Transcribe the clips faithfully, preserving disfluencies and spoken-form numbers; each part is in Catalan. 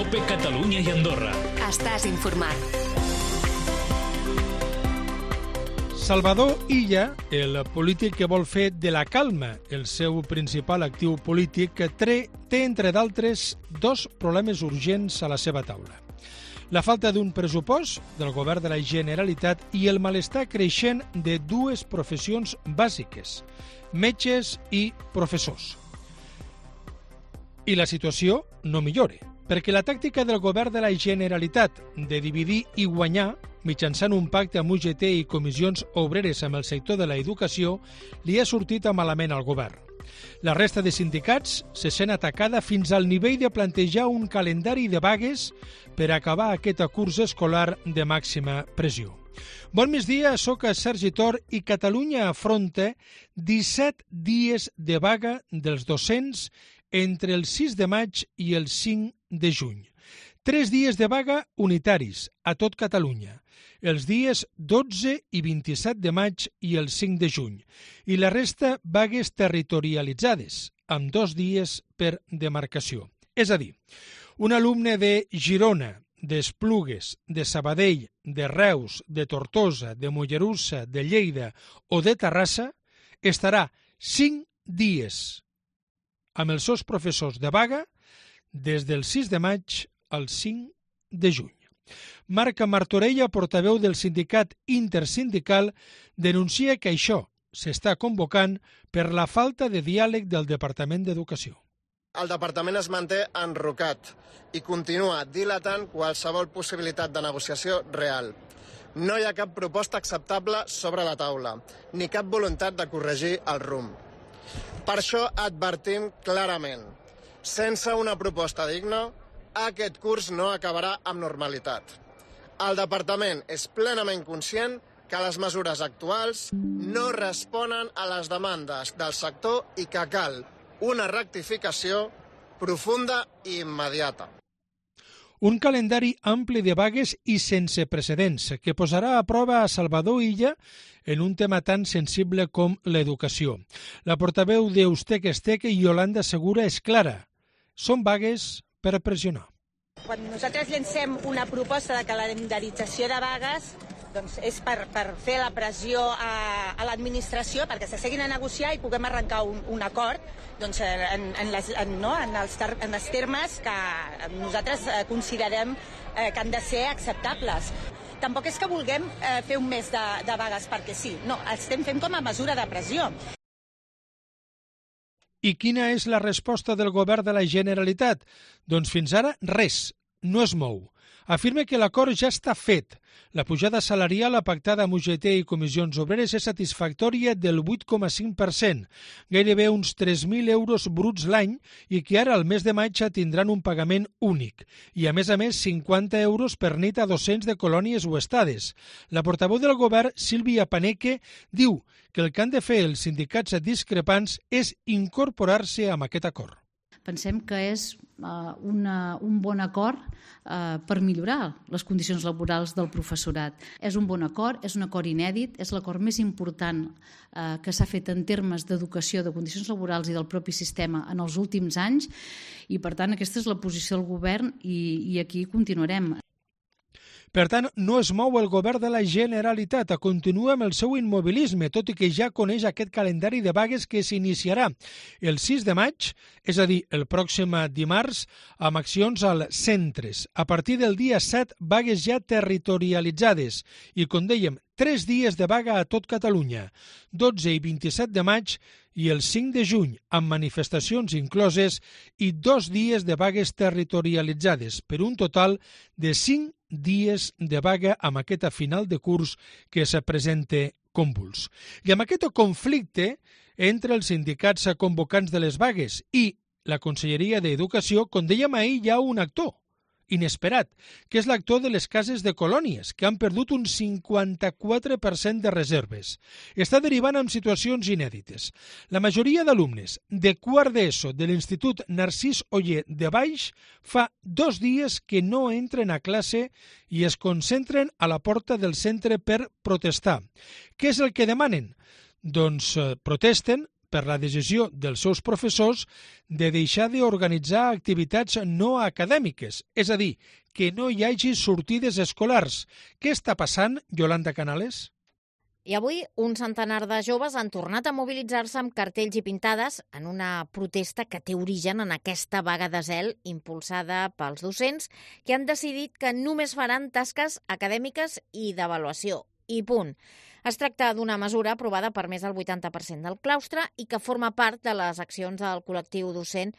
COPE Catalunya i Andorra. Estàs informat. Salvador Illa, el polític que vol fer de la calma el seu principal actiu polític, té, entre d'altres, dos problemes urgents a la seva taula. La falta d'un pressupost del govern de la Generalitat i el malestar creixent de dues professions bàsiques, metges i professors. I la situació no millora, perquè la tàctica del govern de la Generalitat de dividir i guanyar mitjançant un pacte amb U G T i comissions obreres amb el sector de l'educació li ha sortit a malament al govern. La resta de sindicats se sent atacada fins al nivell de plantejar un calendari de vagues per acabar aquest curs escolar de màxima pressió. Bon migdia, soc Sergi Tor i Catalunya afronta disset dies de vaga dels docents entre el sis de maig i el cinc de juny. Tres dies de vaga unitaris a tot Catalunya, els dies dotze i vint-i-set de maig i el cinc de juny, i la resta vagues territorialitzades, amb dos dies per demarcació. És a dir, un alumne de Girona, d'Esplugues, de Sabadell, de Reus, de Tortosa, de Mollerussa, de Lleida o de Terrassa estarà cinc dies amb els seus professors de vaga des del sis de maig al cinc de juny. Marc Martorella, portaveu del sindicat intersindical, denuncia que això s'està convocant per la falta de diàleg del Departament d'Educació. El departament es manté enrocat i continua dilatant qualsevol possibilitat de negociació real. No hi ha cap proposta acceptable sobre la taula, ni cap voluntat de corregir el rumb. Per això advertim clarament, sense una proposta digna, aquest curs no acabarà amb normalitat. El departament és plenament conscient que les mesures actuals no responen a les demandes del sector i que cal una rectificació profunda i immediata. Un calendari ampli de vagues i sense precedents que posarà a prova a Salvador Illa en un tema tan sensible com l'educació. La portaveu d'Eustec Estec, Yolanda Segura, és clara. Són vagues per pressionar. Quan nosaltres llancem una proposta de calendarització de vagues, doncs és per, per fer la pressió a, a l'administració perquè s'asseguin a negociar i puguem arrencar un, un acord doncs, en, en, les, en, no, en, els ter, en els termes que nosaltres considerem eh, que han de ser acceptables. Tampoc és que vulguem eh, fer un mes de, de vagues perquè sí, no, estem fent com a mesura de pressió. I quina és la resposta del govern de la Generalitat? Doncs fins ara res, no es mou. Afirma que l'acord ja està fet. La pujada salarial pactada amb U G T i comissions obreres és satisfactòria del vuit coma cinc per cent, gairebé uns tres mil euros bruts l'any, i que ara al mes de maig tindran un pagament únic. I a més a més cinquanta euros per nit a docents de colònies o estades. La portaveu del govern, Sílvia Paneque, diu que el que han de fer els sindicats discrepants és incorporar-se amb aquest acord. Pensem que és uh, una, un bon acord uh, per millorar les condicions laborals del professorat. És un bon acord, és un acord inèdit, és l'acord més important uh, que s'ha fet en termes d'educació, de condicions laborals i del propi sistema en els últims anys, i per tant aquesta és la posició del govern i, i aquí continuarem. Per tant, no es mou el govern de la Generalitat, continua amb el seu immobilisme, tot i que ja coneix aquest calendari de vagues que s'iniciarà el sis de maig, és a dir, el pròxim dimarts, amb accions als centres. A partir del dia set, vagues ja territorialitzades i, com dèiem, tres dies de vaga a tot Catalunya, dotze i vint-i-set de maig i el cinc de juny, amb manifestacions incloses, i dos dies de vagues territorialitzades, per un total de cinc dies de vaga amb aquesta final de curs que se presenta convuls. I amb aquest conflicte entre els sindicats convocants de les vagues i la Conselleria d'Educació, com dèiem ahir, hi ha un actor inesperat, que és l'actor de les cases de colònies, que han perdut un cinquanta-quatre per cent de reserves. Està derivant en situacions inèdites. La majoria d'alumnes de quart d'ESO de l'Institut Narcís Oller de Baix fa dos dies que no entren a classe i es concentren a la porta del centre per protestar. Què és el que demanen? Doncs eh, protesten per la decisió dels seus professors de deixar d'organitzar activitats no acadèmiques, és a dir, que no hi hagi sortides escolars. Què està passant, Yolanda Canales? I avui un centenar de joves han tornat a mobilitzar-se amb cartells i pintades en una protesta que té origen en aquesta vaga de zel impulsada pels docents que han decidit que només faran tasques acadèmiques i d'avaluació. I punt. Es tracta d'una mesura aprovada per més del vuitanta per cent del claustre i que forma part de les accions del col·lectiu docent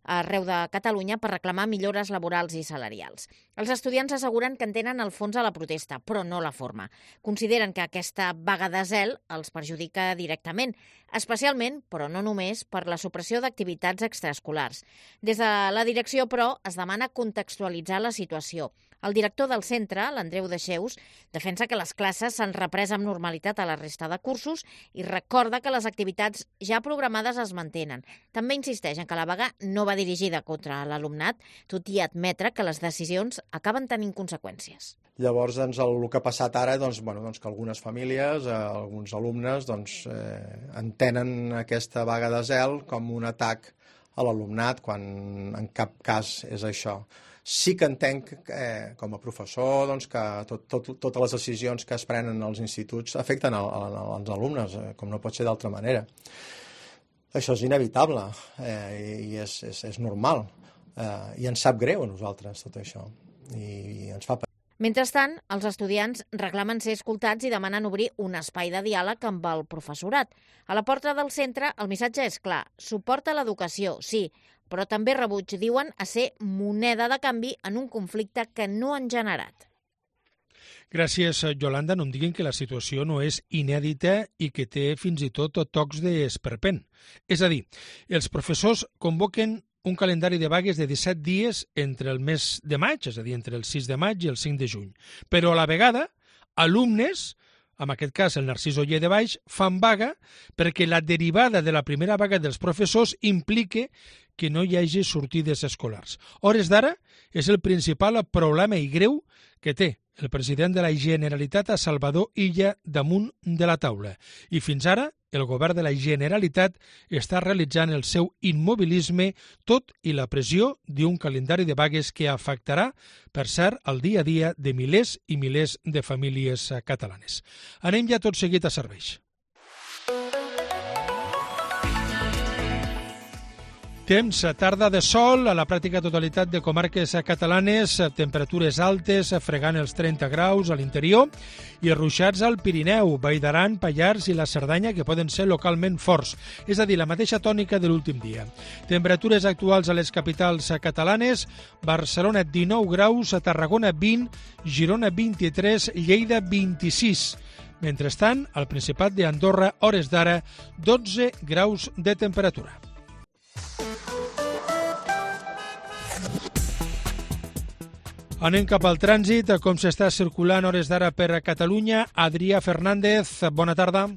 arreu de Catalunya per reclamar millores laborals i salarials. Els estudiants asseguren que entenen el fons de la protesta, però no la forma. Consideren que aquesta vaga de zel els perjudica directament, especialment, però no només, per la supressió d'activitats extraescolars. Des de la direcció, però, es demana contextualitzar la situació. El director del centre, l'Andreu Deixeus, defensa que les classes s'han reprès amb normalitat a la resta de cursos i recorda que les activitats ja programades es mantenen. També insisteix en que la vaga no va dirigida contra l'alumnat, tot i admetre que les decisions acaben tenint conseqüències. Llavors, doncs, el, el que ha passat ara, doncs, bueno, doncs, que algunes famílies, eh, alguns alumnes, doncs, eh, entenen aquesta vaga de zel com un atac a l'alumnat, quan en cap cas és això. Sí que entenc, eh, com a professor, doncs, que tot, tot, totes les decisions que es prenen als instituts afecten el, el, els alumnes, eh, com no pot ser d'altra manera. Això és inevitable eh, i és, és, és normal. Eh, I ens sap greu a nosaltres tot això. I, i ens fa patir. Mentrestant, els estudiants reclamen ser escoltats i demanen obrir un espai de diàleg amb el professorat. A la porta del centre el missatge és clar: suport a l'educació, sí, però també rebuig, diuen, a ser moneda de canvi en un conflicte que no han generat. Gràcies, Yolanda. No em diguin que la situació no és inèdita i que té fins i tot tocs d'esperpent. És a dir, els professors convoquen un calendari de vagues de disset dies entre el mes de maig, és a dir, entre el sis de maig i el cinc de juny. Però a la vegada, alumnes, en aquest cas el Narcís Oller de Baix, fan vaga perquè la derivada de la primera vaga dels professors implica que no hi hagi sortides escolars. A hores d'ara és el principal problema i greu que té el president de la Generalitat, a Salvador Illa, damunt de la taula. I fins ara el govern de la Generalitat està realitzant el seu immobilisme, tot i la pressió d'un calendari de vagues que afectarà, per cert, el dia a dia de milers i milers de famílies catalanes. Anem ja tot seguit a serveis. Temps, tarda de sol a la pràctica totalitat de comarques catalanes, temperatures altes, fregant els trenta graus a l'interior i ruixats al Pirineu, Vall d'Aran, Pallars i la Cerdanya, que poden ser localment forts, és a dir, la mateixa tònica de l'últim dia. Temperatures actuals a les capitals catalanes: Barcelona dinou graus, a Tarragona vint, Girona vint-i-tres, Lleida vint-i-sis. Mentrestant, al Principat d'Andorra, hores d'ara, dotze graus de temperatura. Anem cap al trànsit, com s'està circulant hores d'ara per Catalunya. Adrià Fernández, bona tarda.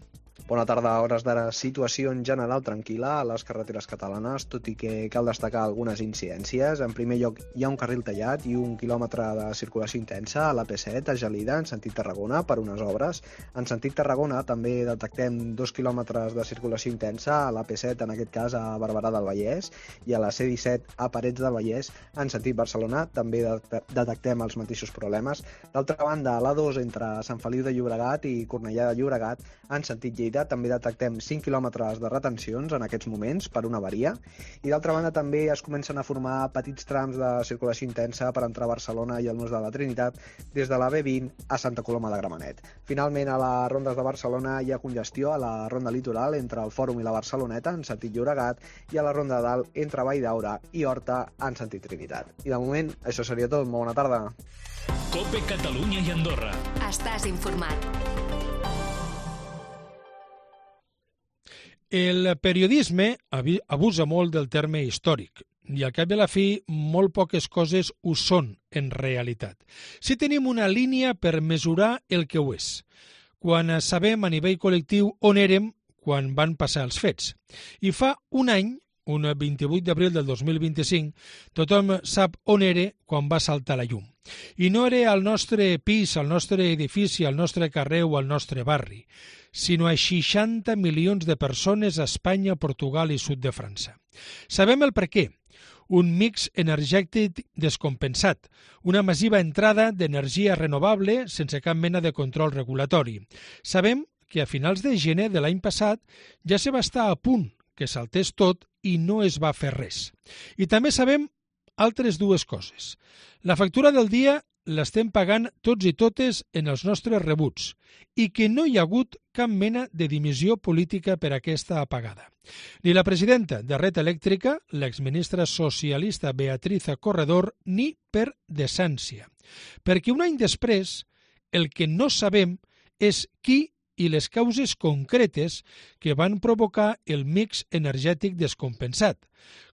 Bona tarda. A hores d'ara, situació en general tranquil·la a les carreteres catalanes, tot i que cal destacar algunes incidències. En primer lloc, hi ha un carril tallat i un quilòmetre de circulació intensa a l'A P set, a Gelida, en sentit Tarragona, per unes obres. En sentit Tarragona també detectem dos quilòmetres de circulació intensa a l'A P set, en aquest cas a Barberà del Vallès, i a la C disset a Parets del Vallès, en sentit Barcelona, també detectem els mateixos problemes. D'altra banda, a l'A dos entre Sant Feliu de Llobregat i Cornellà de Llobregat, en sentit Lleida, també detectem cinc quilòmetres de retencions en aquests moments per una avaria, i d'altra banda també es comencen a formar petits trams de circulació intensa per entrar a Barcelona i al Nus de la Trinitat des de la B vint a Santa Coloma de Gramenet. Finalment, a les rondes de Barcelona hi ha congestió a la ronda litoral entre el Fòrum i la Barceloneta en sentit Llobregat i a la ronda de dalt entre Vall d'Aura i Horta en sentit Trinitat. I de moment això seria tot. Molt bona tarda. COPE Catalunya i Andorra. Estàs informat. El periodisme abusa molt del terme històric i al cap i a la fi molt poques coses ho són en realitat. Si tenim una línia per mesurar el que ho és, quan sabem a nivell col·lectiu on érem quan van passar els fets. I fa un any un vint-i-vuit d'abril del dos mil vint-i-cinc, tothom sap on era quan va saltar la llum. I no era al nostre pis, al nostre edifici, al nostre carrer o al nostre barri, sinó a seixanta milions de persones a Espanya, Portugal i sud de França. Sabem el per què. Un mix energètic descompensat, una massiva entrada d'energia renovable sense cap mena de control regulatori. Sabem que a finals de gener de l'any passat ja se va estar a punt que saltés tot i no es va fer res. I també sabem altres dues coses. La factura del dia l'estem pagant tots i totes en els nostres rebuts i que no hi ha hagut cap mena de dimissió política per aquesta apagada. Ni la presidenta de Red Elèctrica, l'exministra socialista Beatriz Corredor, ni per decència. Perquè un any després, el que no sabem és qui i les causes concretes que van provocar el mix energètic descompensat.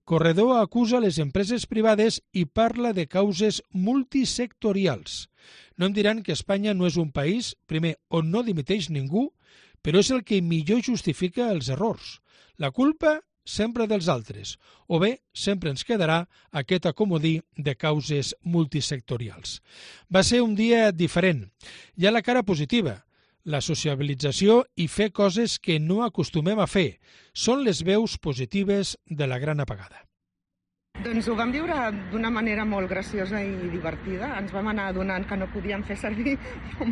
Corredor acusa les empreses privades i parla de causes multisectorials. No em diran que Espanya no és un país, primer, on no dimiteix ningú, però és el que millor justifica els errors. La culpa sempre dels altres, o bé sempre ens quedarà aquest acomodí de causes multisectorials. Va ser un dia diferent. Hi ha la cara positiva, la sociabilització i fer coses que no acostumem a fer. Són les veus positives de la gran apagada. Doncs ho vam viure d'una manera molt graciosa i divertida. Ens vam anar adonant que no podíem fer servir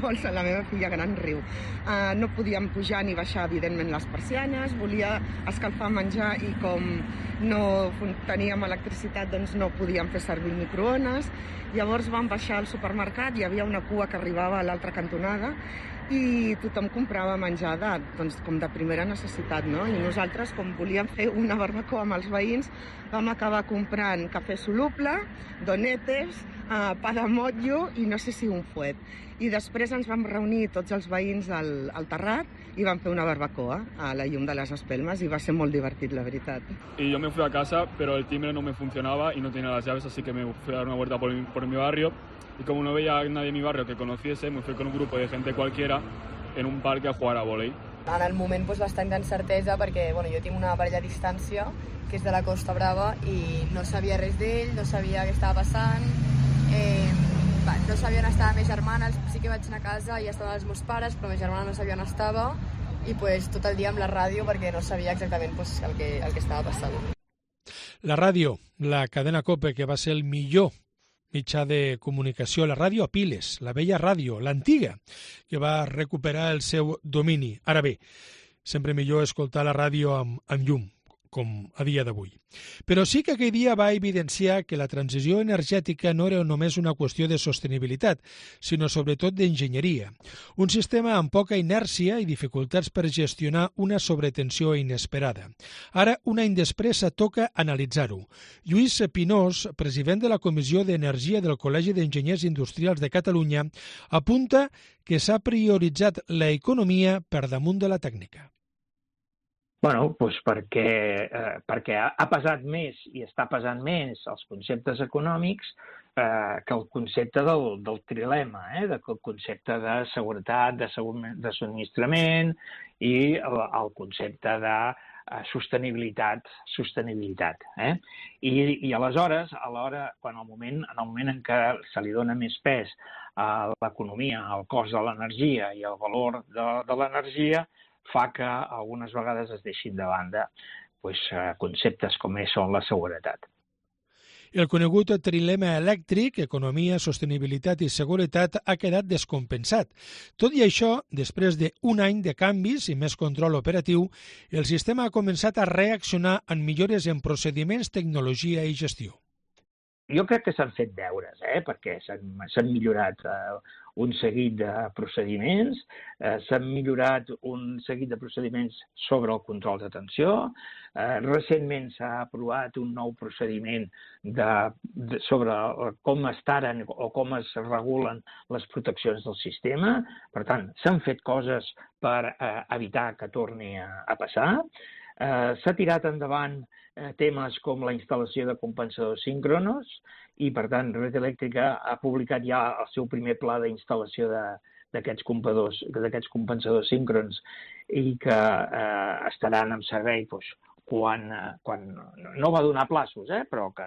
molts a la meva filla gran riu. Uh, no podíem pujar ni baixar, evidentment, les persianes, volia escalfar menjar i com no teníem electricitat, doncs no podíem fer servir el microones. Llavors vam baixar al supermercat, hi havia una cua que arribava a l'altra cantonada i tothom comprava menjar de, doncs, com de primera necessitat, no? I nosaltres, com volíem fer una barbacoa amb els veïns, vam acabar comprant cafè soluble, donetes, eh, pa de motllo i no sé si un fuet. I després ens vam reunir tots els veïns al, al terrat i vam fer una barbacoa a la llum de les espelmes i va ser molt divertit, la veritat. Y yo me fui a casa, pero el timbre no me funcionaba y no tenía las llaves, así que me fui a dar una vuelta por, por mi barrio. Y como no veía a nadie en mi barrio que conociese, me fui con un grupo de gente cualquiera en un parque a jugar a vólei. En el moment doncs, bastant d'incertesa perquè bueno, jo tinc una parella a distància que és de la Costa Brava i no sabia res d'ell, no sabia què estava passant, eh, no sabia on estava la meva germana, sí que vaig anar a casa i estaven els meus pares, però la meva germana no sabia on estava i pues, tot el dia amb la ràdio perquè no sabia exactament pues, el, que, el que estava passant. La ràdio, la cadena COPE, que va ser el millor mitjà de comunicació, la ràdio a piles, la vella ràdio, l'antiga, que va recuperar el seu domini. Ara bé, sempre millor escoltar la ràdio amb, amb llum, com a dia d'avui. Però sí que aquell dia va evidenciar que la transició energètica no era només una qüestió de sostenibilitat, sinó sobretot d'enginyeria. Un sistema amb poca inèrcia i dificultats per gestionar una sobretensió inesperada. Ara, un any després, toca analitzar-ho. Lluís Pinós, president de la Comissió d'Energia del Col·legi d'Enginyers Industrials de Catalunya, apunta que s'ha prioritzat l'economia per damunt de la tècnica. Bueno, doncs perquè, eh, perquè ha pesat més i està pesant més els conceptes econòmics eh, que el concepte del, del trilema, eh, del concepte de seguretat, de, de subministrament i el, el concepte de eh, sostenibilitat, sostenibilitat. Eh? I, I aleshores, a l'hora, quan el moment, en el moment en què se li dona més pes a l'economia, al cost de l'energia i al valor de, de l'energia, fa que algunes vegades es deixin de banda pues, conceptes com són la seguretat. El conegut trilema elèctric, economia, sostenibilitat i seguretat, ha quedat descompensat. Tot i això, després d'un any de canvis i més control operatiu, el sistema ha començat a reaccionar en millores en procediments, tecnologia i gestió. Jo crec que s'han fet deures, eh? perquè s'han millorat eh, un seguit de procediments, eh, s'han millorat un seguit de procediments sobre el control de tensió, eh, recentment s'ha aprovat un nou procediment de, de, sobre com es taren o com es regulen les proteccions del sistema. Per tant, s'han fet coses per eh, evitar que torni a, a passar. Eh, s'ha tirat endavant eh, temes com la instal·lació de compensadors síncronos i, per tant, Red Elèctrica ha publicat ja el seu primer pla d'instal·lació d'aquests compensadors, d'aquests compensadors síncrons i que eh, estaran en servei doncs, quan, quan no va donar plaços, eh, però que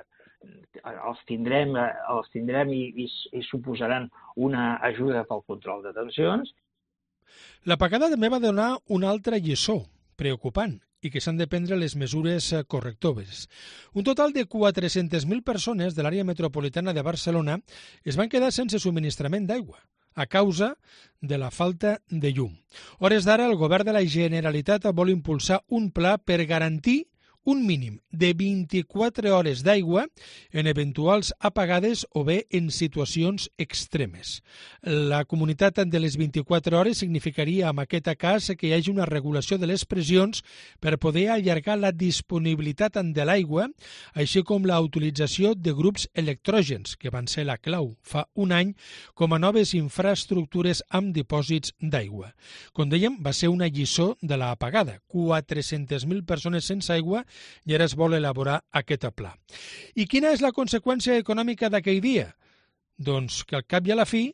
els tindrem, els tindrem i, i, i suposaran una ajuda pel control de tensions. L'apagada també va donar una altra lliçó preocupant i que s'han de prendre les mesures correctores. Un total de quatre-centes mil persones de l'àrea metropolitana de Barcelona es van quedar sense subministrament d'aigua a causa de la falta de llum. A hores d'ara, el govern de la Generalitat vol impulsar un pla per garantir un mínim de vint-i-quatre hores d'aigua en eventuals apagades o bé en situacions extremes. La comunitat de les vint-i-quatre hores significaria, en aquest cas, que hi hagi una regulació de les pressions per poder allargar la disponibilitat de l'aigua, així com la utilització de grups electrògens, que van ser la clau fa un any com a noves infraestructures amb dipòsits d'aigua. Com dèiem, va ser una lliçó de l'apagada. quatre-centes mil persones sense aigua i ara es vol elaborar aquest pla. I quina és la conseqüència econòmica d'aquell dia? Doncs que al cap i a la fi,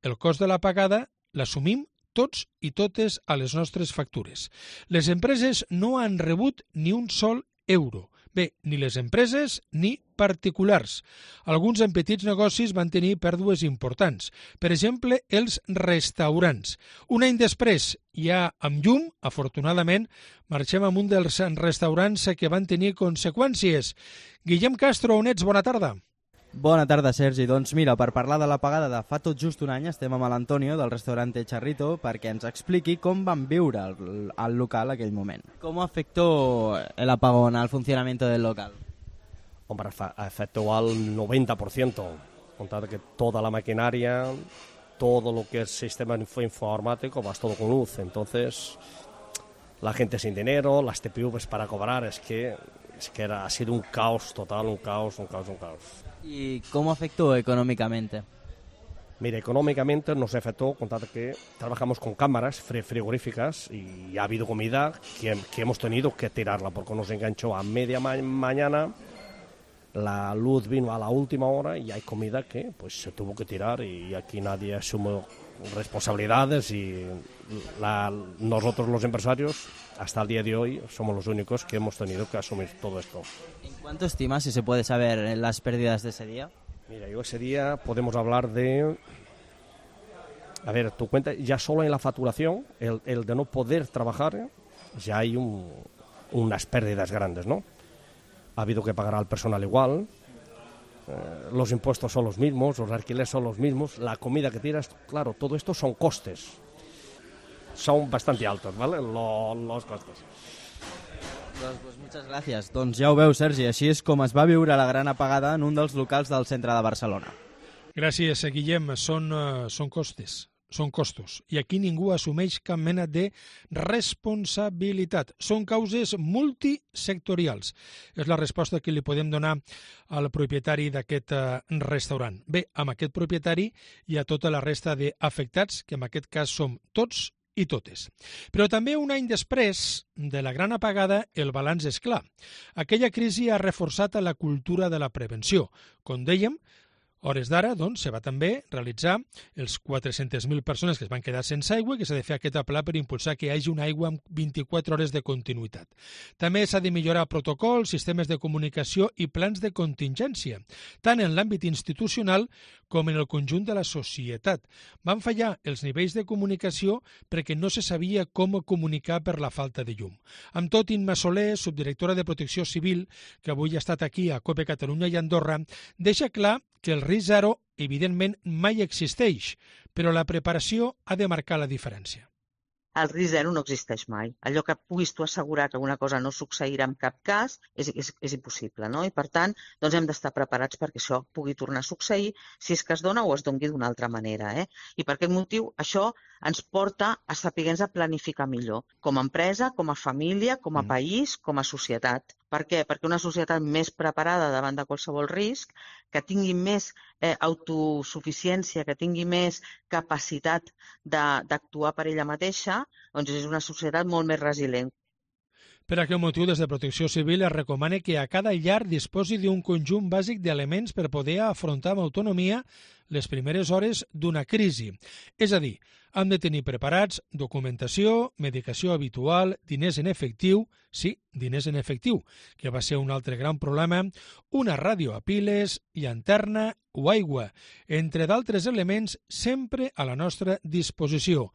el cost de l'apagada l'assumim tots i totes a les nostres factures. Les empreses no han rebut ni un sol euro. Bé, ni les empreses ni particulars. Alguns en petits negocis van tenir pèrdues importants. Per exemple, els restaurants. Un any després, ja amb llum, afortunadament, marxem amb un dels restaurants que van tenir conseqüències. Guillem Castro, on ets? Bona tarda. Bona tarda, Sergi. Doncs mira, per parlar de l'apagada de fa tot just un any estem amb l'Antonio del restaurante Charrito perquè ens expliqui com van viure el, el local aquell moment. ¿Cómo afectó el apagón al funcionamiento del local? Hombre, afectó al noventa por ciento. Contar que toda la maquinaria, todo lo que es sistema informático, va todo con luz. Entonces, la gente sin dinero, las T P Vs para cobrar, es que, es que era, ha sido un caos total, un caos, un caos, un caos. ¿Y cómo afectó económicamente? Mira, económicamente nos afectó, contad que trabajamos con cámaras frigoríficas y ha habido comida que, que hemos tenido que tirarla porque nos enganchó a media ma mañana, la luz vino a la última hora y hay comida que pues se tuvo que tirar y aquí nadie asume responsabilidades y la, nosotros los empresarios hasta el día de hoy somos los únicos que hemos tenido que asumir todo esto. ¿En cuánto estimas, si se puede saber, las pérdidas de ese día? Mira, yo ese día podemos hablar de... A ver, tu cuenta, ya solo en la facturación, el, el de no poder trabajar, ya hay un, unas pérdidas grandes, ¿no? Ha habido que pagar al personal igual, eh, los impuestos son los mismos, los alquileres son los mismos, la comida que tiras, claro, todo esto son costes. Son bastante altos, ¿vale? Lo, los costes. Doncs, doncs moltes gràcies. Doncs ja ho veu, Sergi, així és com es va viure la gran apagada en un dels locals del centre de Barcelona. Gràcies, Guillem. Són, uh, són costes, són costos. I aquí ningú assumeix cap mena de responsabilitat. Són causes multisectorials. És la resposta que li podem donar al propietari d'aquest uh, restaurant. Bé, amb aquest propietari hi ha tota la resta d'afectats, que en aquest cas som tots i totes. Però també un any després de la gran apagada el balanç és clar. Aquella crisi ha reforçat la cultura de la prevenció. Com dèiem, hores d'ara, doncs, se va també realitzar els quatre-centes mil persones que es van quedar sense aigua, que s'ha de fer aquest pla per impulsar que hi hagi una aigua amb vint-i-quatre hores de continuïtat. També s'ha de millorar protocols, sistemes de comunicació i plans de contingència, tant en l'àmbit institucional com en el conjunt de la societat. Van fallar els nivells de comunicació perquè no se sabia com comunicar per la falta de llum. Amb tot, Imma Soler, subdirectora de Protecció Civil, que avui ha estat aquí a COPE Catalunya i Andorra, deixa clar que el risc zero, evidentment, mai existeix, però la preparació ha de marcar la diferència. El risc zero no existeix mai. Allò que puguis tu assegurar que una cosa no succeirà en cap cas és, és, és impossible, no? I per tant, doncs hem d'estar preparats perquè això pugui tornar a succeir si és que es dona o es doni d'una altra manera, eh? I per aquest motiu això ens porta a saber-nos a planificar millor, com a empresa, com a família, com a país, com a societat. Per què? Perquè una societat més preparada davant de qualsevol risc, que tingui més eh, autosuficiència, que tingui més capacitat d'actuar per ella mateixa, doncs és una societat molt més resilient. Per aquest motiu, des de Protecció Civil es recomana que a cada llar disposi d'un conjunt bàsic d'elements per poder afrontar amb autonomia les primeres hores d'una crisi. És a dir, Han de tenir preparats documentació, medicació habitual, diners en efectiu, sí, diners en efectiu, que va ser un altre gran problema, una ràdio a piles, llanterna o aigua, entre d'altres elements sempre a la nostra disposició.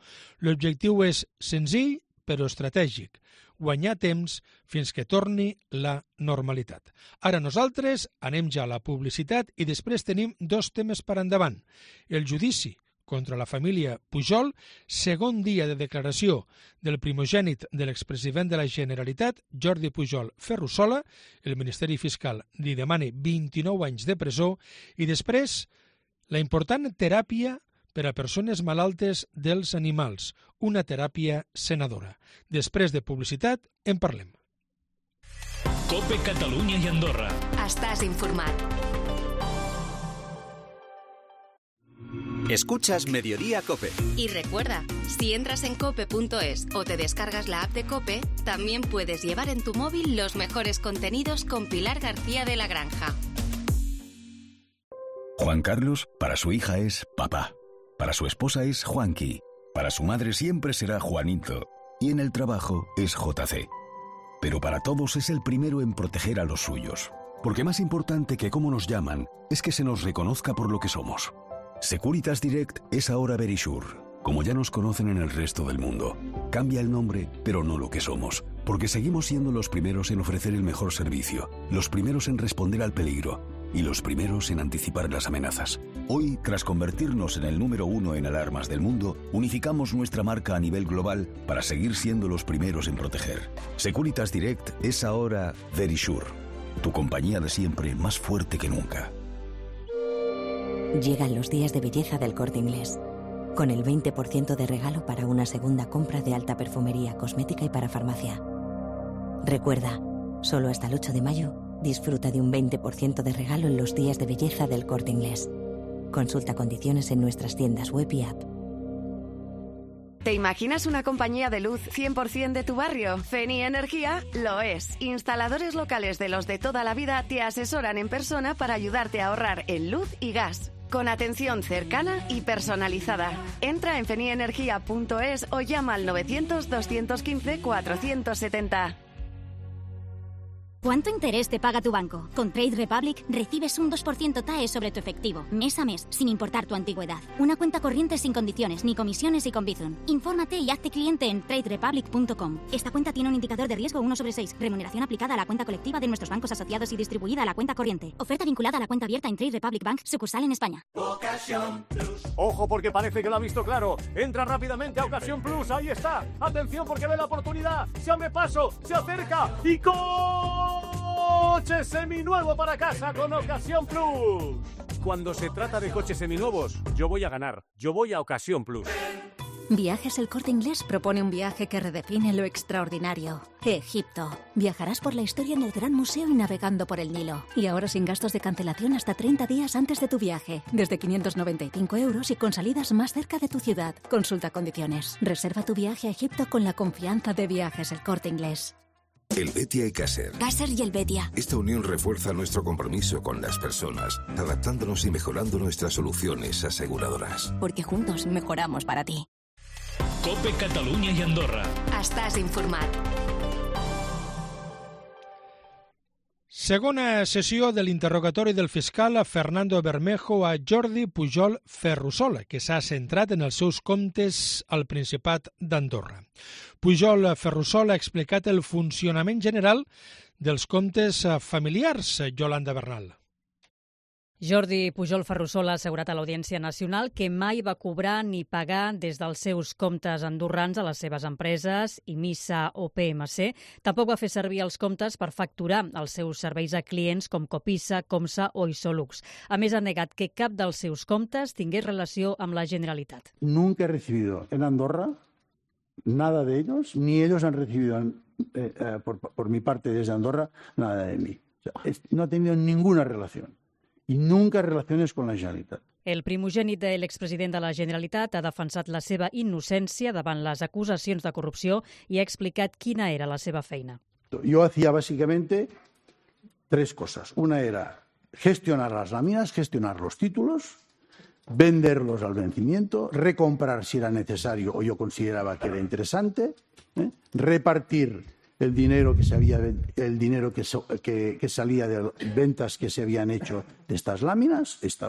L'objectiu és senzill però estratègic, guanyar temps fins que torni la normalitat. Ara nosaltres anem ja a la publicitat i després tenim dos temes per endavant. El judici contra la família Pujol, segon dia de declaració del primogènit de l'expresident de la Generalitat, Jordi Pujol Ferrusola, el Ministeri Fiscal li demana vint-i-nou anys de presó, i després la important teràpia per a persones malaltes dels animals, una teràpia senadora. Després de publicitat, en parlem. COPE Catalunya i Andorra. Estàs informat. Escuchas Mediodía COPE. Y recuerda, si entras en cope punto es o te descargas la app de COPE, también puedes llevar en tu móvil los mejores contenidos con Pilar García de la Granja. Juan Carlos, para su hija es papá. Para su esposa es Juanqui. Para su madre siempre será Juanito. Y en el trabajo es J C. Pero para todos es el primero en proteger a los suyos. Porque más importante que cómo nos llaman es que se nos reconozca por lo que somos. Securitas Direct es ahora Verisure, como ya nos conocen en el resto del mundo. Cambia el nombre, pero no lo que somos, porque seguimos siendo los primeros en ofrecer el mejor servicio, los primeros en responder al peligro y los primeros en anticipar las amenazas. Hoy, tras convertirnos en el número uno en alarmas del mundo, unificamos nuestra marca a nivel global para seguir siendo los primeros en proteger. Securitas Direct es ahora Verisure, tu compañía de siempre más fuerte que nunca. Llegan los días de belleza del Corte Inglés, con el veinte por ciento de regalo para una segunda compra de alta perfumería, cosmética y para farmacia. Recuerda, solo hasta el ocho de mayo, disfruta de un veinte por ciento de regalo en los días de belleza del Corte Inglés. Consulta condiciones en nuestras tiendas web y app. ¿Te imaginas una compañía de luz cien por ciento de tu barrio? Feni Energía lo es. Instaladores locales de los de toda la vida te asesoran en persona para ayudarte a ahorrar en luz y gas, con atención cercana y personalizada. Entra en feni energía punto es o llama al novecientos, doscientos quince, cuatrocientos setenta. ¿Cuánto interés te paga tu banco? Con Trade Republic recibes un dos por ciento T A E sobre tu efectivo, mes a mes, sin importar tu antigüedad. Una cuenta corriente sin condiciones, ni comisiones y con Bizum. Infórmate y hazte cliente en trade republic punto com. Esta cuenta tiene un indicador de riesgo uno sobre seis. Remuneración aplicada a la cuenta colectiva de nuestros bancos asociados y distribuida a la cuenta corriente. Oferta vinculada a la cuenta abierta en Trade Republic Bank, sucursal en España. Ocasión Plus. Ojo, porque parece que lo ha visto claro. Entra rápidamente a Ocasión Plus, ahí está. Atención, porque ve la oportunidad. Se abre paso, se acerca y con... coche seminuevo para casa con Ocasión Plus. Cuando se trata de coches seminuevos, yo voy a ganar. Yo voy a Ocasión Plus. Viajes El Corte Inglés propone un viaje que redefine lo extraordinario. Egipto. Viajarás por la historia en el Gran Museo y navegando por el Nilo. Y ahora sin gastos de cancelación hasta treinta días antes de tu viaje. Desde quinientos noventa y cinco euros y con salidas más cerca de tu ciudad. Consulta condiciones. Reserva tu viaje a Egipto con la confianza de Viajes El Corte Inglés. El Betia y Caser. Caser y el Betia. Esta unión refuerza nuestro compromiso con las personas, adaptándonos y mejorando nuestras soluciones aseguradoras. Porque juntos mejoramos para ti. COPE Catalunya i Andorra. Estàs informat. Segona sessió de l'interrogatori del fiscal Fernando Bermejo a Jordi Pujol Ferrusola, que s'ha centrat en els seus comptes al Principat d'Andorra. Pujol Ferrusola ha explicat el funcionament general dels comptes familiars, Yolanda Bernal. Jordi Pujol Ferrusola ha assegurat a l'Audiència Nacional que mai va cobrar ni pagar des dels seus comptes andorrans a les seves empreses, Imisa o P M C. Tampoc va fer servir els comptes per facturar els seus serveis a clients com Copisa, Comsa o Isolux. A més, ha negat que cap dels seus comptes tingués relació amb la Generalitat. Nunca he recibido en Andorra nada de ellos, ni ellos han recibido eh, eh, por, por mi parte desde Andorra nada de mí. O sea, es, no ha tenido ninguna relación. I nunca relaciones con la Generalitat. El primogènit de l'expresident de la Generalitat ha defensat la seva innocència davant les acusacions de corrupció i ha explicat quina era la seva feina. Yo hacía básicamente tres cosas. Una era gestionar las láminas, gestionar los títulos, venderlos al vencimiento, recomprar si era necesario o yo consideraba que era interesante, ¿eh? repartir el dinero que se había, el dinero que, so, que, que salía de ventas que se habían hecho de estas láminas. Esta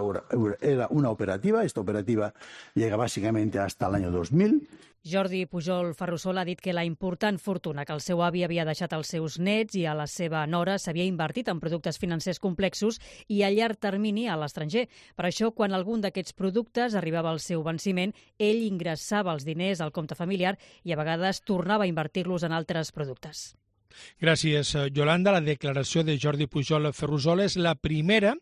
era una operativa, esta operativa llega básicamente hasta el año dos mil. Jordi Pujol Ferrusola ha dit que la important fortuna que el seu avi havia deixat als seus nets i a la seva nora s'havia invertit en productes financers complexos i a llarg termini a l'estranger. Per això, quan algun d'aquests productes arribava al seu venciment, ell ingressava els diners al compte familiar i a vegades tornava a invertir-los en altres productes. Gràcies, Yolanda. La declaració de Jordi Pujol Ferrusola és la primera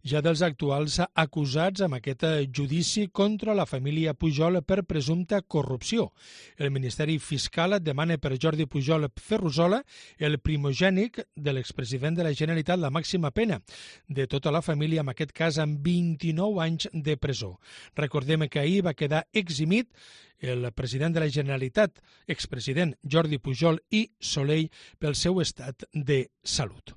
ja dels actuals acusats amb aquest judici contra la família Pujol per presumpta corrupció. El Ministeri Fiscal demana per Jordi Pujol Ferrusola, el primogènic de l'expresident de la Generalitat, la màxima pena de tota la família, en aquest cas amb vint-i-nou anys de presó. Recordem que ahir va quedar eximit el president de la Generalitat, expresident Jordi Pujol i Soley, pel seu estat de salut.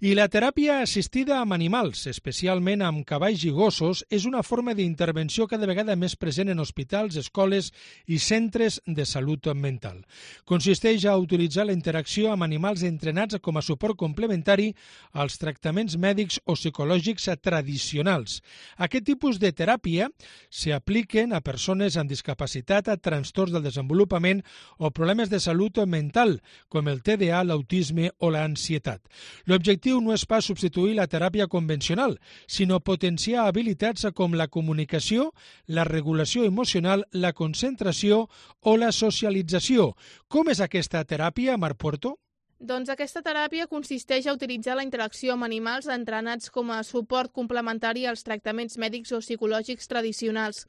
I la teràpia assistida amb animals, especialment amb cavalls i gossos, és una forma d'intervenció cada vegada més present en hospitals, escoles i centres de salut mental. Consisteix a utilitzar la interacció amb animals entrenats com a suport complementari als tractaments mèdics o psicològics tradicionals. Aquest tipus de teràpia s'apliquen a persones amb discapacitat, a trastorns del desenvolupament o problemes de salut mental, com el T D A, l'autisme o l'ansietat. L'objectiu no és pas substituir la teràpia convencional, sinó potenciar habilitats com la comunicació, la regulació emocional, la concentració o la socialització. Com és aquesta teràpia, Mar Puerto? Doncs aquesta teràpia consisteix a utilitzar la interacció amb animals entrenats com a suport complementari als tractaments mèdics o psicològics tradicionals.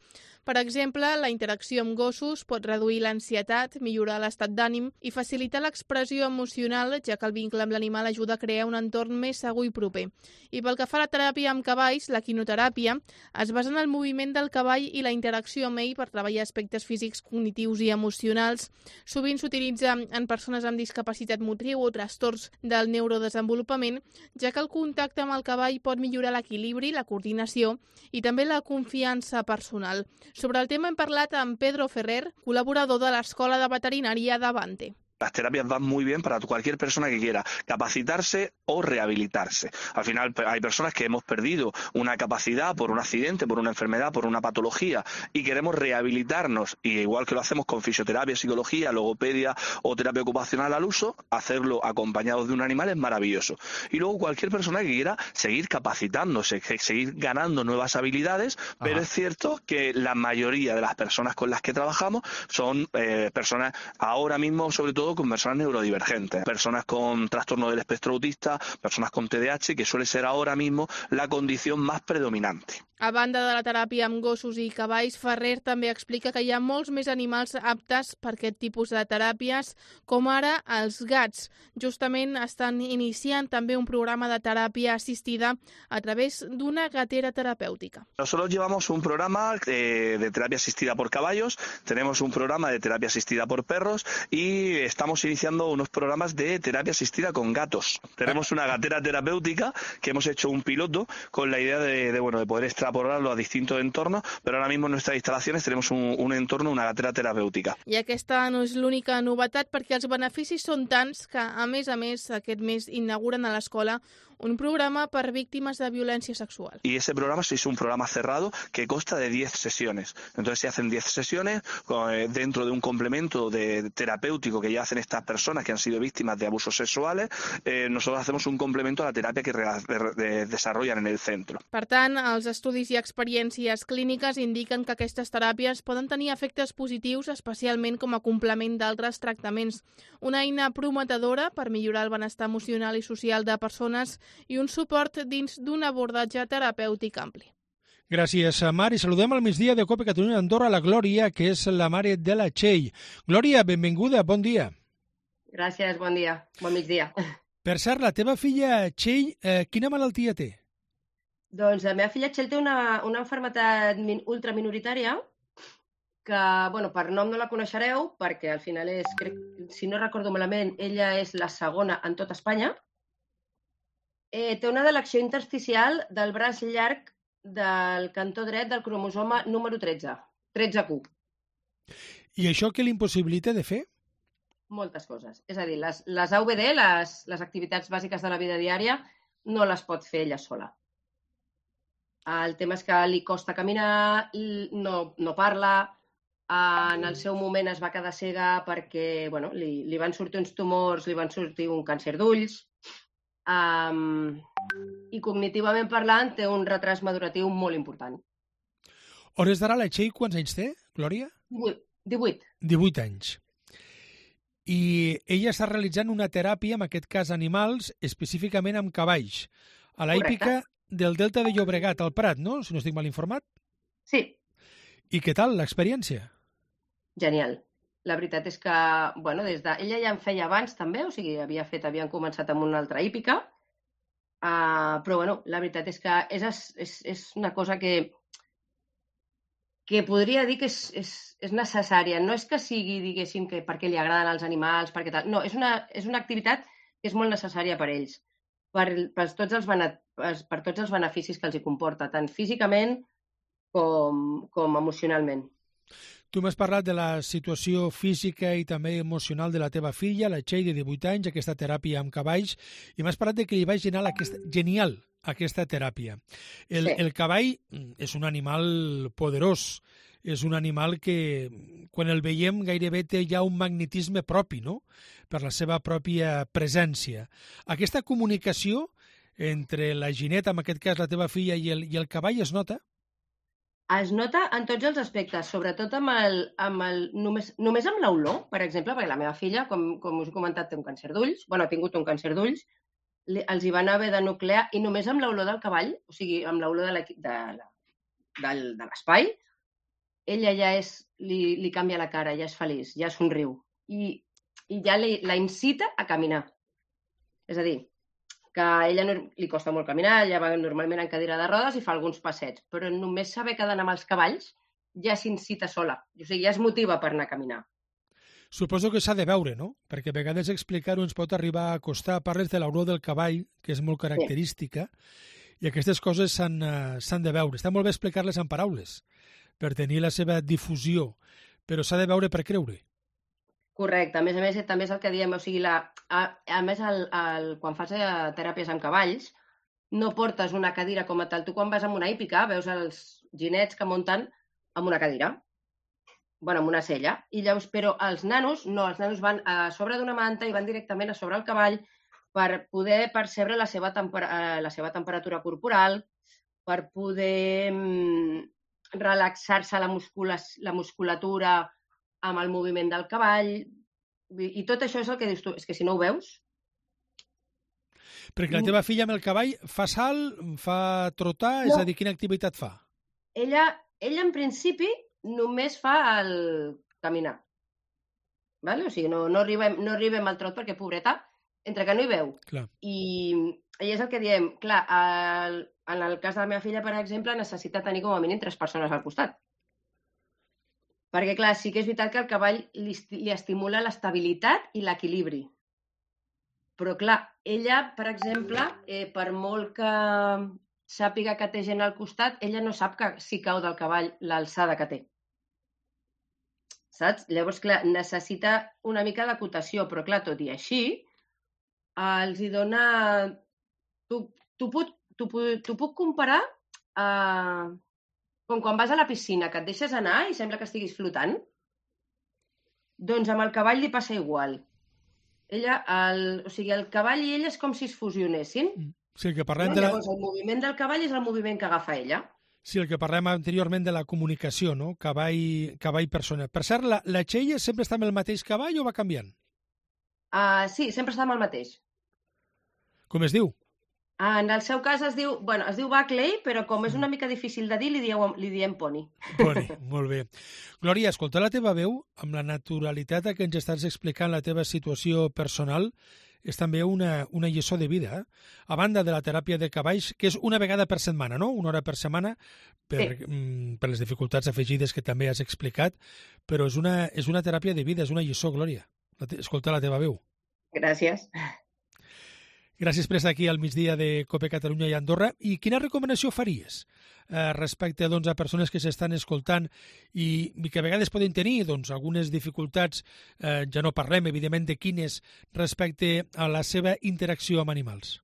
Per exemple, la interacció amb gossos pot reduir l'ansietat, millorar l'estat d'ànim i facilitar l'expressió emocional, ja que el vincle amb l'animal ajuda a crear un entorn més segur i proper. I pel que fa a la teràpia amb cavalls, la quinoteràpia es basa en el moviment del cavall i la interacció amb ell per treballar aspectes físics, cognitius i emocionals. Sovint s'utilitza en persones amb discapacitat motriu o trastorns del neurodesenvolupament, ja que el contacte amb el cavall pot millorar l'equilibri, la coordinació i també la confiança personal. Sobre el tema hem parlat amb Pedro Ferrer, colaborador de l'Escola de Veterinària d'Avante. Las terapias van muy bien para cualquier persona que quiera capacitarse o rehabilitarse. Al final hay personas que hemos perdido una capacidad por un accidente, por una enfermedad, por una patología y queremos rehabilitarnos. Y igual que lo hacemos con fisioterapia, psicología, logopedia o terapia ocupacional al uso, hacerlo acompañados de un animal es maravilloso. Y luego cualquier persona que quiera seguir capacitándose, seguir ganando nuevas habilidades, pero Ajá. es cierto que la mayoría de las personas con las que trabajamos son eh, personas ahora mismo, sobre todo, con personas neurodivergentes, personas con trastorno del espectro autista, personas con T D A H, que suele ser ahora mismo la condición más predominante. A banda de la teràpia amb gossos i cavalls, Ferrer també explica que hi ha molts més animals aptes per aquest tipus de teràpies, com ara els gats. Justament estan iniciant també un programa de teràpia assistida a través d'una gatera terapèutica. Nosotros llevamos un programa eh, de terapia asistida por caballos, tenemos un programa de terapia asistida por perros y estamos iniciando unos programas de terapia asistida con gatos. Tenemos una gatera terapéutica que hemos hecho un piloto con la idea de, de, bueno, de poder extrapolarlo a distintos entornos, pero ahora mismo en nuestras instalaciones tenemos un, un entorno, una gatera terapèutica. I aquesta no és l'única novetat, perquè els beneficis són tants que, a més a més, aquest mes inauguren a l'escola un programa per víctimes de violència sexual. Y ese programa es un programa cerrado que consta de diez sesiones. Entonces se hacen diez sesiones eh, dentro de un complemento de terapéutico que ya hacen estas personas que han sido víctimas de abusos sexuales. Eh, nosotros hacemos un complemento a la terapia que re, de, de, desarrollan en el centro. Per tant, els estudis i experiències clíniques indiquen que aquestes teràpies poden tenir efectes positius, especialment com a complement d'altres tractaments. Una eina prometedora per millorar el benestar emocional i social de persones i un suport dins d'un abordatge terapèutic ampli. Gràcies, Mar. I saludem al migdia de Cope Catalunya Andorra la Glòria, que és la mare de la Txell. Glòria, benvinguda, bon dia. Gràcies, bon dia, bon migdia. Per cert, la teva filla Txell, eh, quina malaltia té? Doncs la meva filla Txell té una, una malaltia ultraminoritària que, bueno, per nom no la coneixereu, perquè al final és, crec, si no recordo malament, ella és la segona en tot Espanya. Eh, té una delecció intersticial del braç llarg del cantó dret del cromosoma número tretze, tretze Q. I això què l'impossibilita de fer? Moltes coses. És a dir, les, les A V D, les, les activitats bàsiques de la vida diària, no les pot fer ella sola. El tema és que li costa caminar, no, no parla, en el seu moment es va quedar cega perquè bueno, li, li van sortir uns tumors, li van sortir un càncer d'ulls, um, i cognitivament parlant té un retras maduratiu molt important. Hores d'ara la Txell quants anys té, Glòria? divuit. divuit anys. I ella està realitzant una teràpia, en aquest cas animals, específicament amb cavalls, a la hípica del Delta de Llobregat, al Prat, no? Si no estic mal informat. Sí. I què tal l'experiència? Genial. La veritat és que, bueno, des de... ella ja en feia abans també, o sigui, havia fet, havien començat amb una altra hípica, uh, però, bueno, la veritat és que és, és, és una cosa que que podria dir que és, és, és necessària. No és que sigui, diguéssim, que perquè li agraden els animals, perquè tal. No, és una, és una activitat que és molt necessària per ells, per, per, tots els bene, per, per tots els beneficis que els hi comporta, tant físicament com, com emocionalment. Tu m'has parlat de la situació física i també emocional de la teva filla, la Txell, de divuit anys, aquesta teràpia amb cavalls, i m'has parlat de que li va genial aquesta, genial aquesta teràpia. El, sí. el cavall és un animal poderós, és un animal que, quan el veiem, gairebé té ja un magnetisme propi, no?, per la seva pròpia presència. Aquesta comunicació entre la Gineta, en aquest cas la teva filla, i el, i el cavall es nota? Es nota en tots els aspectes, sobretot amb el, amb el, només, només amb l'olor, per exemple, perquè la meva filla, com, com us he comentat, té un càncer d'ulls, bueno, ha tingut un càncer d'ulls, els hi van haver de nuclear, i només amb l'olor del cavall, o sigui, amb l'olor de, de, de, de l'espai, ella ja és, li, li canvia la cara, ja és feliç, ja somriu, i, i ja li, la incita a caminar. És a dir, que a ella no, li costa molt caminar, ella va normalment en cadira de rodes i fa alguns passets, però només saber que ha d'anar amb els cavalls ja s'incita sola, o sigui, ja es motiva per anar a caminar. Suposo que s'ha de veure, no? Perquè a vegades explicar-ho ens pot arribar a costar. Parles de l'olor del cavall, que és molt característica, sí. I aquestes coses s'han uh, de veure. Està molt bé explicar-les en paraules, per tenir la seva difusió, però s'ha de veure per creure. Correcte. A més a més, també és el que diem, o sigui, la, a, a més, el, el, quan fas teràpies amb cavalls, no portes una cadira com a tal. Tu quan vas amb una hípica veus els ginets que munten amb una cadira, bueno, amb una sella, i llavors, però els nanos no, els nanos van a sobre d'una manta i van directament a sobre el cavall per poder percebre la seva, temper la seva temperatura corporal, per poder mm, relaxar-se la, muscula la musculatura amb el moviment del cavall, i tot això és el que dius tu, és que si no ho veus... Perquè la teva filla amb el cavall fa salt, fa trotar, no. És a dir, quina activitat fa? Ella, ella en principi, només fa el caminar. Vale? O sigui, no, no, arribem, no arribem al trot perquè, pobreta, entre que no hi veu. Clar. I, I és el que diem. Clar, el, en el cas de la meva filla, per exemple, necessita tenir com a mínim tres persones al costat. Perquè, clar, sí que és veritat que el cavall li, li estimula l'estabilitat i l'equilibri. Però, clar, ella, per exemple, eh, per molt que sàpiga que té gent al costat, ella no sap que si cau del cavall l'alçada que té. Saps? Llavors, clar, necessita una mica d'acotació, però, clar, tot i així, els hi dona... Tu, tu, puc, tu, tu puc comparar eh, com quan vas a la piscina, que et deixes anar i sembla que estiguis flotant. Doncs amb el cavall li passa igual. Ella, el, o sigui, el cavall i ella és com si es fusionessin. Mm. Sí, el que parlem no? de la... Llavors, el moviment del cavall és el moviment que agafa ella. Sí, el que parlem anteriorment de la comunicació, no? Cavall, cavall-persona. Per cert, la, la Txell sempre està amb el mateix cavall o va canviant? Uh, sí, sempre està amb el mateix. Com es diu? Uh, en el seu cas es diu, bueno, es diu Buckley, però com és una mica difícil de dir, li, dieu, li diem Pony. Pony, molt bé. Glòria, escoltar la teva veu, amb la naturalitat que ens estàs explicant la teva situació personal, és també una, una lliçó de vida. Eh? A banda de la teràpia de cavalls, que és una vegada per setmana, no? Una hora per setmana, per, sí. mm, per les dificultats afegides que també has explicat, però és una, és una teràpia de vida, és una lliçó, Glòria. Escoltar la teva veu. Gràcies. Gràcies per estar aquí al migdia de COPE Catalunya i Andorra. I quina recomanació faries eh, respecte doncs, a persones que s'estan escoltant i, i que a vegades poden tenir doncs, algunes dificultats, eh, ja no parlem, evidentment, de quines respecte a la seva interacció amb animals?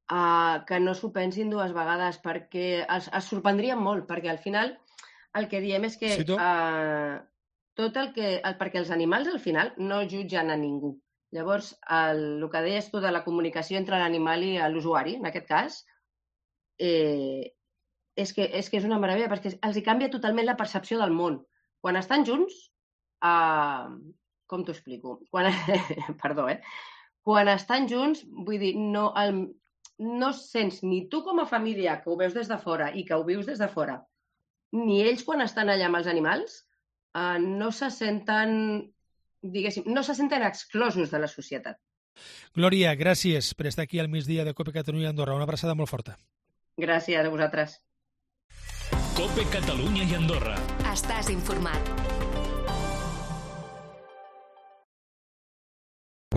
Uh, que no s'ho pensin dues vegades, perquè es, es sorprendrien molt, perquè al final el que diem és que sí, uh, tot el que... El, perquè els animals al final no jutgen a ningú. Llavors, el, el que deies tu de la comunicació entre l'animal i l'usuari, en aquest cas, eh, és, que, és que és una meravella, perquè els hi canvia totalment la percepció del món. Quan estan junts, uh, com t'ho explico? Quan, perdó, eh? Quan estan junts, vull dir, no... El, no sents ni tu com a família, que ho veus des de fora i que ho vius des de fora, ni ells quan estan allà amb els animals, eh, no se senten, diguéssim, no se senten exclosos de la societat. Glòria, gràcies per estar aquí al migdia de COPE Catalunya i Andorra. Una abraçada molt forta. Gràcies a vosaltres. COPE Catalunya i Andorra. Estàs informat.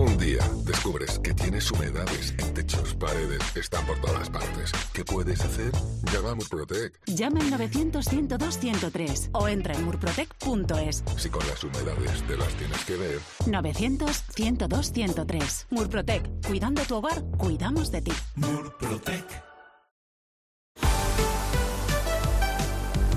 Un día descubres que tienes humedades en techos, paredes, están por todas partes. ¿Qué puedes hacer? Llama a Murprotec. Llama al novecientos, ciento dos, ciento tres o entra en murprotec punto es. Si con las humedades te las tienes que ver. novecientos, ciento dos, ciento tres. Murprotec. Cuidando tu hogar, cuidamos de ti. Murprotec.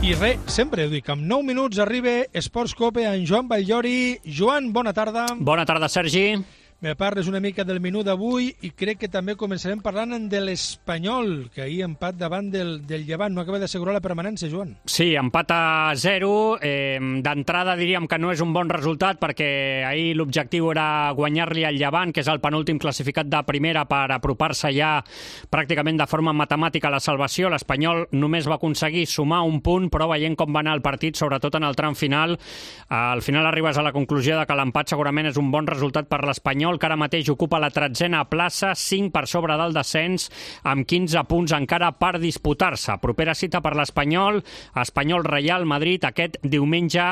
I res, sempre ho dic, amb nou minuts arriba Esports Cope en Joan Batllori. Joan, bona tarda. Bona tarda, Sergi. Me parles una mica del menú d'avui i crec que també començarem parlant de l'Espanyol, que ahir empat davant del, del Llevant. No acaba d'assegurar la permanència, Joan. Sí, empat a zero. Eh, D'entrada diríem que no és un bon resultat perquè ahir l'objectiu era guanyar-li al Llevant, que és el penúltim classificat de primera, per apropar-se ja pràcticament de forma matemàtica a la salvació. L'Espanyol només va aconseguir sumar un punt, però veient com va anar el partit, sobretot en el tram final, al final arribes a la conclusió de que l'empat segurament és un bon resultat per l'Espanyol, que ara mateix ocupa la tretzena plaça, cinc per sobre del descens, amb quinze punts encara per disputar-se. Propera cita per l'Espanyol, Espanyol-Reial Madrid, aquest diumenge,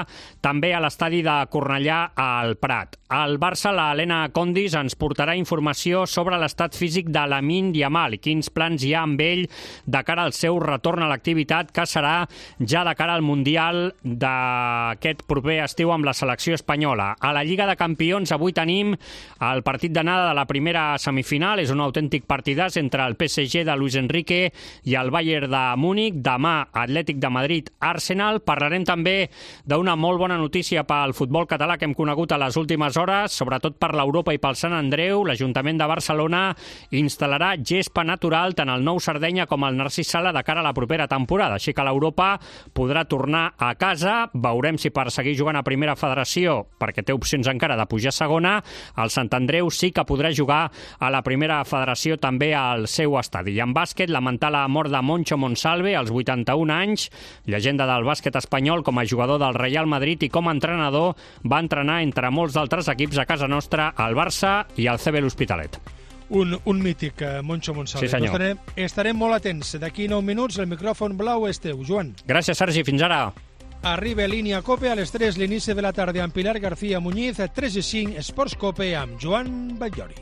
també a l'estadi de Cornellà al Prat. Al Barça, la Helena Condis ens portarà informació sobre l'estat físic de Lamine Yamal i quins plans hi ha amb ell de cara al seu retorn a l'activitat, que serà ja de cara al Mundial d'aquest proper estiu amb la selecció espanyola. A la Lliga de Campions avui tenim el partit d'anada de la primera semifinal. És un autèntic partidàs entre el P S G de Luis Enrique i el Bayern de Múnich. Demà, Atlètic de Madrid, Arsenal. Parlarem també d'una molt bona notícia pel futbol català que hem conegut a les últimes hores, sobretot per l'Europa i pel Sant Andreu. L'Ajuntament de Barcelona instal·larà gespa natural tant al Nou Sardenya com al Narcís Sala de cara a la propera temporada. Així que l'Europa podrà tornar a casa. Veurem si per seguir jugant a primera federació, perquè té opcions encara de pujar a segona, el Sant Andreu sí que podrà jugar a la primera federació també al seu estadi. I en bàsquet, lamentar la mort de Moncho Monsalve als vuitanta-un anys, llegenda del bàsquet espanyol com a jugador del Real Madrid i com a entrenador, va entrenar entre molts d'altres equips a casa nostra, el Barça i el C B l'Hospitalet. Un, un mític, Moncho Monsalve. Sí, senyor. Estarem, estarem molt atents. D'aquí nou minuts el micròfon blau és teu, Joan. Gràcies, Sergi. Fins ara. Arriba Línia Cope a les tres, l'inici de la tarda amb Pilar García Muñiz, a tres i cinc, Esports Cope amb Joan Batllori.